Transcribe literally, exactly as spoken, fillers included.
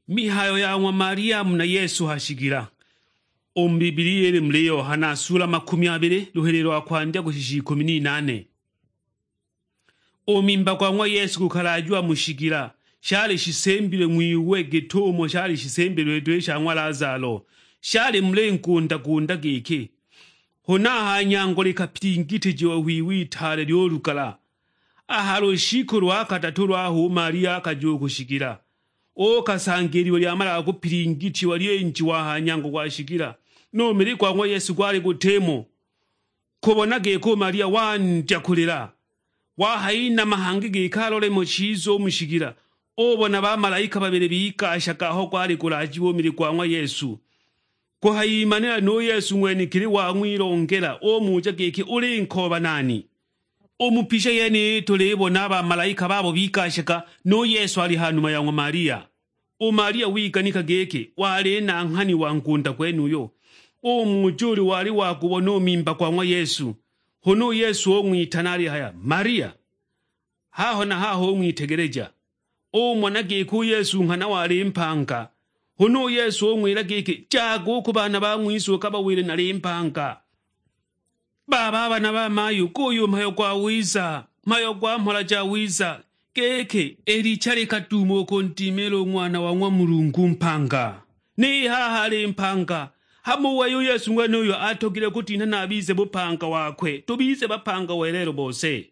Mihayo ya ng'wa Maria muna Yesu ha shigila. U mu Bibilia ili muli Yohana sula makumi abili, luhele lwa kwandya kushisha ikumi n'inane. U mimba gwa ng'wa Yesu gukalajiwa mu shigila, shali shisembilwe ng'wiwe git'umo shali shisembilwe duhu i sha ng'wa Lazalo. Shali muli nkunda-kunda giki, huna a ha nyango likapilingitijiwa hwiwe itaale ly'ulugala. A ha lushiku lwa kadatu lwaho u Maria akaja u ku shigila, uukasanga i liwe lyamalaga kupilingitiwa lyinjiwa a ha nyango gwa shigila, nu mili gwa ng'wa Yesu gwali gutimo. Kubona giko u Maria wandya kulila, wahayinama hangi giki alole mo chiza u mu shigila, ubona bamalaika babili bigashaga aho gwali gulajiwa u mili gwa ng'wa Yesu. Kuhayimanila nu Yesu ng'wenekili wang'wilongela, umuja giki, "Uli nkooba nani?" U mu picha yeniyi tulibona a bamalaika babo bigashaga, nu Yesu ali ha numa ya ng'wa Maria. U Maria wiganika giki wali nanghani wa nkunda gwenuyo, umuja ulu wali wagubona u mimba gwa ng'wa Yesu. Huna u Yesu ung'witana alihaya, "Maria!" Haho na haho ung'witegeleja, umona giki u Yesu nghana wali mpanga. Huna u Yesu ung'wila giki, "Jaga u ku baana ba ng'wise ukabawile nali mpanga." Baba, a bana ba mayu, guyu mhayo gwawiza, mhayo gwa mhola jawiza, giki i licha likaduuma u kundimila u Ng'wana wa ng'wa Mulungu mpanga. Ni haha ali mpanga, hama u wei u Yesu ng'wenuyo atogilwe kutinha na abize bupanga wakwe, tubize bapanga welelo bose.